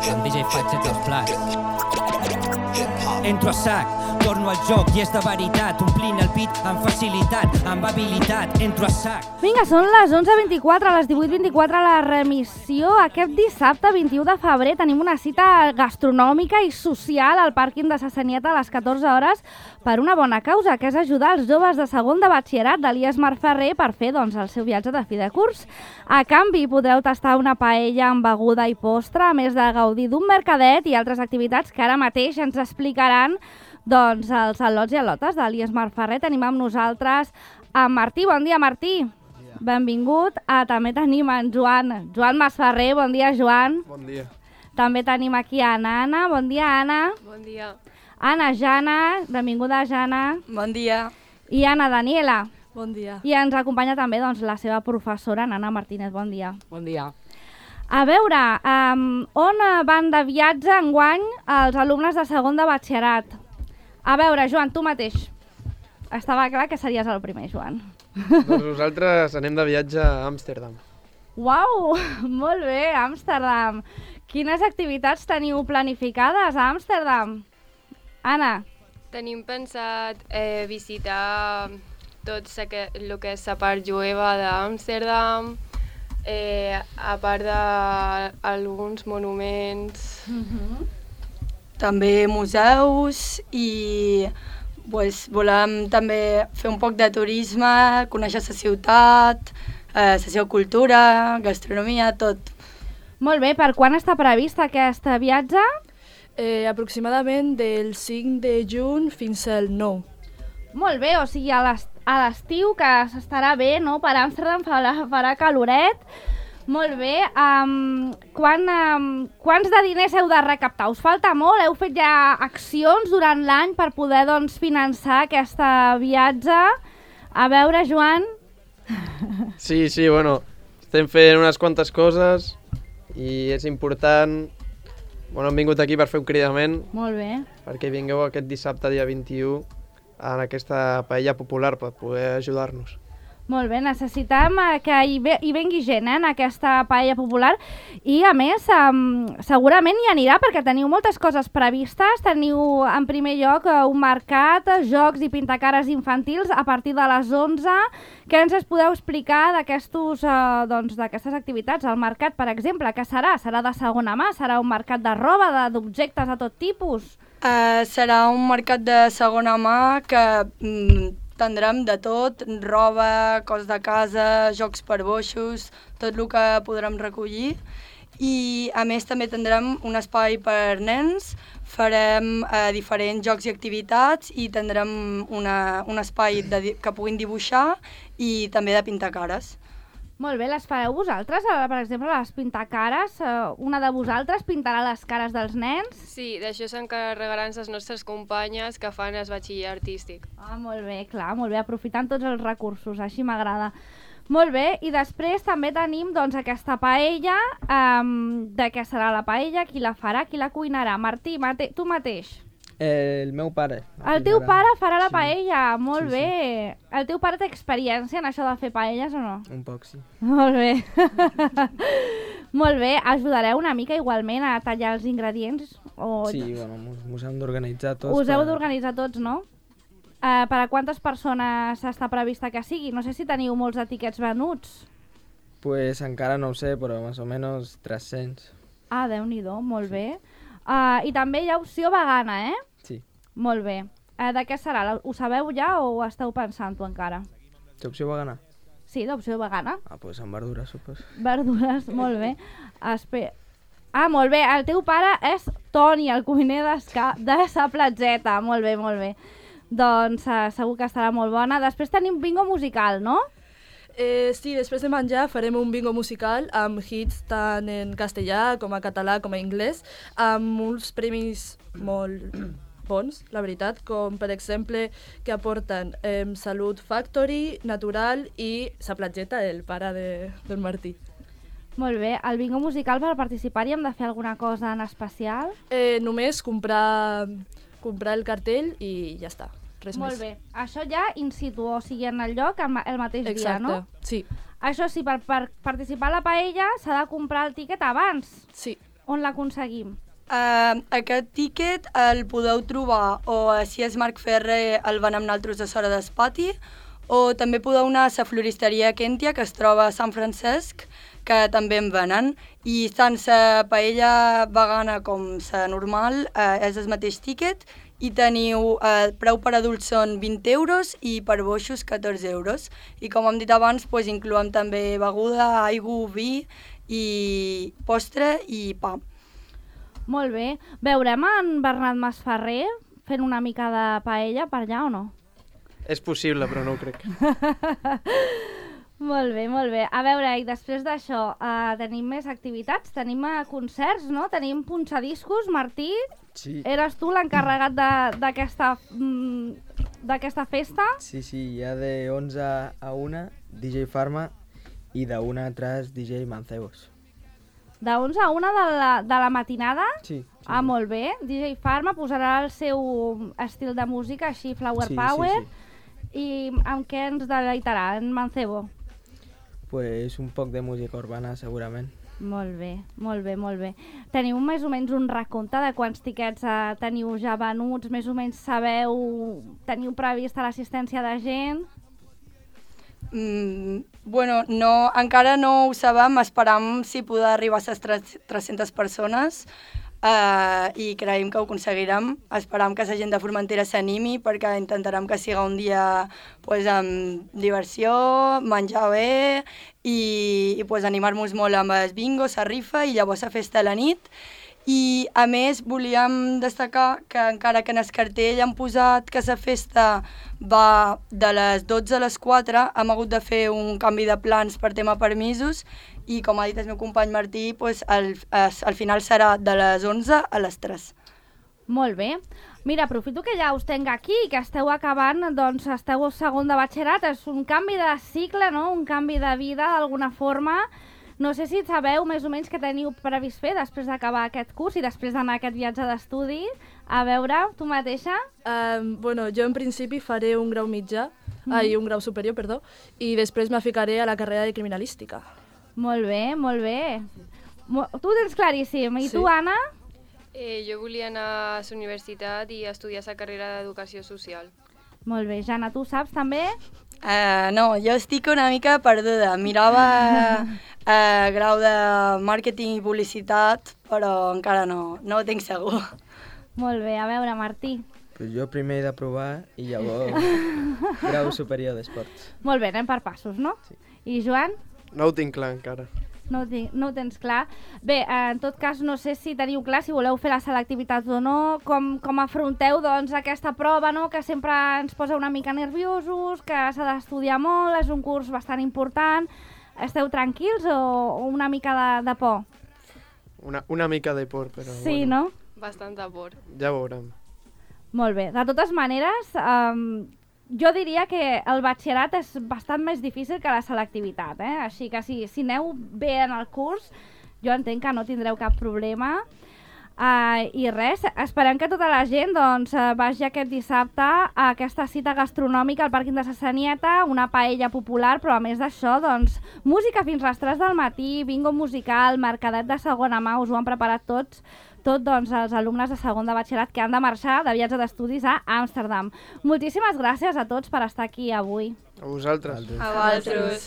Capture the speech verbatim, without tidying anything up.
Amb D J faig tots els plats. Entro a sac, torno al joc i és de veritat, omplint el pit amb facilitat, amb habilitat, entro a sac. Vinga, són les onze vint-i-quatre, a les divuit vint-i-quatre la remissió. Aquest dissabte, vint-i-u de febrer, tenim una cita gastronòmica i social al pàrquing de Sassaniet a les catorze hores per una bona causa, que és ajudar els joves de segon de batxillerat de l'I E S Mar Ferrer per fer doncs, el seu viatge de fi de curs. A canvi, podreu tastar una paella amb beguda i postre, a més de gaudir d'un mercadet i altres activitats que ara mateix ens explicaran doncs, els al·lots i al·lotes de l'I E S Mar Ferrer. Tenim amb nosaltres a Martí. Bon dia, Martí. Bon dia. Benvingut. Ah, també tenim en Joan. Joan Masferrer. Bon dia, Joan. Bon dia. També tenim aquí a Anna. Bon dia, Anna. Bon dia. Anna Jana. Benvinguda, Jana. Bon dia. I Anna Daniela. Bon dia. I ens acompanya també doncs, la seva professora, Nana Martínez. Bon dia. Bon dia. A veure, um, on van de viatge enguany els alumnes de segon de batxillerat? A veure, Joan, tu mateix. Estava clar que series el primer, Joan. Doncs nosaltres anem de viatge a Amsterdam. Uau, molt bé, Amsterdam. Quines activitats teniu planificades a Amsterdam? Anna. Tenim pensat eh, visitar tot el que és la part jueva d'Amsterdam, eh, a part d'alguns monuments. Uh-huh. També museus i pues, volem també fer un poc de turisme, conèixer la ciutat, eh, la seva cultura, gastronomia, tot. Molt bé, per quan està previst aquest viatge? Eh, aproximadament del cinc de juny fins al nou. Molt bé, o sigui a l'estiu que s'estarà bé, no? Per Amsterdam farà, farà caloret. Molt bé. Um, quan, um, quants de diners heu de recaptar? Us falta molt? Heu fet ja accions durant l'any per poder doncs, finançar aquest viatge? A veure, Joan. Sí, sí, bueno, estem fent unes quantes coses i és important. Bueno, hem vingut aquí per fer un cridament. Molt bé. Perquè vingueu aquest dissabte, dia vint-i-u, en aquesta paella popular per poder ajudar-nos. Molt bé, necessitem que hi, ve, hi vengui gent eh, en aquesta paella popular i a més um, segurament hi anirà perquè teniu moltes coses previstes. Teniu en primer lloc un mercat, jocs i pintacares infantils a partir de les onze. Què ens es podeu explicar d'aquestes uh, doncs, d'aquestes activitats? El mercat, per exemple, què serà? Serà de segona mà? Serà un mercat de roba, d'objectes de tot tipus? Uh, serà un mercat de segona mà que mm, tindrem de tot, roba, coses de casa, jocs per boixos, tot el que podrem recollir. I a més també tindrem un espai per nens, farem eh, diferents jocs i activitats i tindrem una, un espai de, que puguin dibuixar i també de pintar cares. Molt bé, les fareu vosaltres? Per exemple, les pintacares, una de vosaltres pintarà les cares dels nens? Sí, d'això s'encarregaran les nostres companyes que fan el batxiller artístic. Ah, molt bé, clar, molt bé, aprofitant tots els recursos, així m'agrada. Molt bé, i després també tenim doncs, aquesta paella, um, de què serà la paella, qui la farà, qui la cuinarà? Martí, mate tu mateix. El meu pare. El teu pare farà la paella, sí. molt sí, bé. Sí. El teu pare té experiència en això de fer paelles o no? Un poc, sí. Molt bé. Molt bé, ajudareu una mica igualment a tallar els ingredients? O... Sí, bueno, mos hem d'organitzar tots. Us heu d'organitzar tots, no? Uh, per a quantes persones està prevista que sigui? No sé si teniu molts etiquets venuts. Pues encara no ho sé, però més o menys tres-cents. Ah, Déu-n'hi-do, molt sí. bé. Uh, I també hi ha opció vegana, eh? Sí. Molt bé. Uh, de què serà? Ho sabeu ja o ho esteu pensant-ho encara? Té opció vegana? Sí, d'opció vegana. Ah, doncs pues amb verdures, supos. Verdures, molt bé. Espe... Ah, molt bé. El teu pare és Toni, el cuiner de sa Platzeta. Molt bé, molt bé. Doncs uh, segur que estarà molt bona. Després tenim bingo musical, no? Eh, sí, després de menjar farem un bingo musical amb hits tant en castellà com a català com a anglès, amb uns premis molt bons, la veritat, com per exemple que aporten eh, Salut Factory, Natural i Sa Platzeta, el pare de, del Martí. Molt bé, el bingo musical per participar-hi hem de fer alguna cosa en especial? Eh, només comprar, comprar el cartell i ja està. Res Molt més. bé. Això ja in situ, o sigui, en el lloc el, el mateix Exacte. dia, no? Sí. Això sí, per, per participar a la paella s'ha de comprar el tiquet abans. Sí. on l'aconseguim? Uh, aquest tíquet el podeu trobar o si és Marc Ferrer el van amb naltros a Sora d'Espati, o també podeu anar a la floristeria Kentia, que es troba a Sant Francesc, que també en venen. I tant la paella vegana com la normal eh, és el mateix tíquet i teniu, eh, preu per adults són vint euros i per boixos catorze euros. I com hem dit abans, pues, incloem també beguda, aigua, vi i postre i pa. Molt bé. Veurem en Bernat Masferrer fent una mica de paella per allà o no? És possible, però no ho crec. Molt bé, molt bé. A veure, i després d'això, uh, tenim més activitats? Tenim uh, concerts, no? Tenim punxadiscos. Martí, Sí. eres tu l'encarregat d'aquesta mm, d'aquesta festa? Sí, sí, hi ha de onze a una D J Farma i de una a tres D J Mancebos. De onze a una de la, de la matinada? Sí. sí Ah, sí. molt bé. D J Farma posarà el seu estil de música, així, Flower Sí, sí, Power. sí. I amb què ens deleitarà en Mancebo? Pues un poc de música urbana, segurament. Molt bé, molt bé, molt bé. Teniu més o menys un recompte de quants tiquets eh, teniu ja venuts? Més o menys sabeu, teniu prevista l'assistència de gent? Mm, bueno, no, encara no ho sabem, esperam si poder arribar a les tres-centes persones uh, i creiem que ho aconseguirem. Esperam que la gent de Formentera s'animi perquè intentarem que siga un dia pues, amb diversió, menjar bé i, i pues, animar-nos molt amb el bingo, la rifa i llavors la festa a la nit. I a més volíem destacar que encara que en el cartell han posat que la festa va de les dotze a les quatre, hem hagut de fer un canvi de plans per tema permisos i com ha dit el meu company Martí, pues, al, al final serà de les onze a les tres. Molt bé. Mira, aprofito que ja us tenc aquí, que esteu acabant, doncs esteu a segon de batxillerat, és un canvi de cicle, no? Un canvi de vida d'alguna forma. No sé si sabeu més o menys què teniu previst fer després d'acabar aquest curs i després d'anar a aquest viatge d'estudi. A veure, tu mateixa? Um, bueno, jo en principi faré un grau mitjà, mm. ai, un grau superior, perdó, i després me ficaré a la carrera de criminalística. Molt bé, molt bé. Mo tu ho tens claríssim. I Sí. tu, Anna? Eh, jo volia anar a la universitat i estudiar la carrera d'Educació Social. Molt bé. Jana, tu saps també? Uh, no, jo estic una mica perduda. Mirava uh, grau de màrqueting i publicitat, però encara no, no ho tinc segur. Molt bé. A veure, Martí. Pues jo primer he de provar i llavors grau superior d'esports. Molt bé, anem per passos, no? Sí. I Joan? No ho tinc clar encara. No ho, tinc, no ho tens clar. Bé, eh, en tot cas, no sé si teniu clar si voleu fer la selectivitat o no, com, com afronteu doncs, aquesta prova, no?, que sempre ens posa una mica nerviosos, que s'ha d'estudiar molt, és un curs bastant important. Esteu tranquils o, o una mica de, de por? Una, una mica de por, però Sí, bueno, no? Bastanta por. ja veurem. Molt bé. De totes maneres, um, jo diria que el batxillerat és bastant més difícil que la selectivitat, eh? Així que si, si aneu bé en el curs, jo entenc que no tindreu cap problema. Uh, I res, esperem que tota la gent doncs, uh, vagi aquest dissabte a aquesta cita gastronòmica al pàrquing de Sassanieta, una paella popular, però a més d'això, doncs, música fins a les tres del matí, bingo musical, mercadet de segona mà, us ho han preparat tots, tot doncs, els alumnes de segon de batxillerat que han de marxar de viatge d'estudis a Amsterdam. Moltíssimes gràcies a tots per estar aquí avui. A vosaltres. A vosaltres.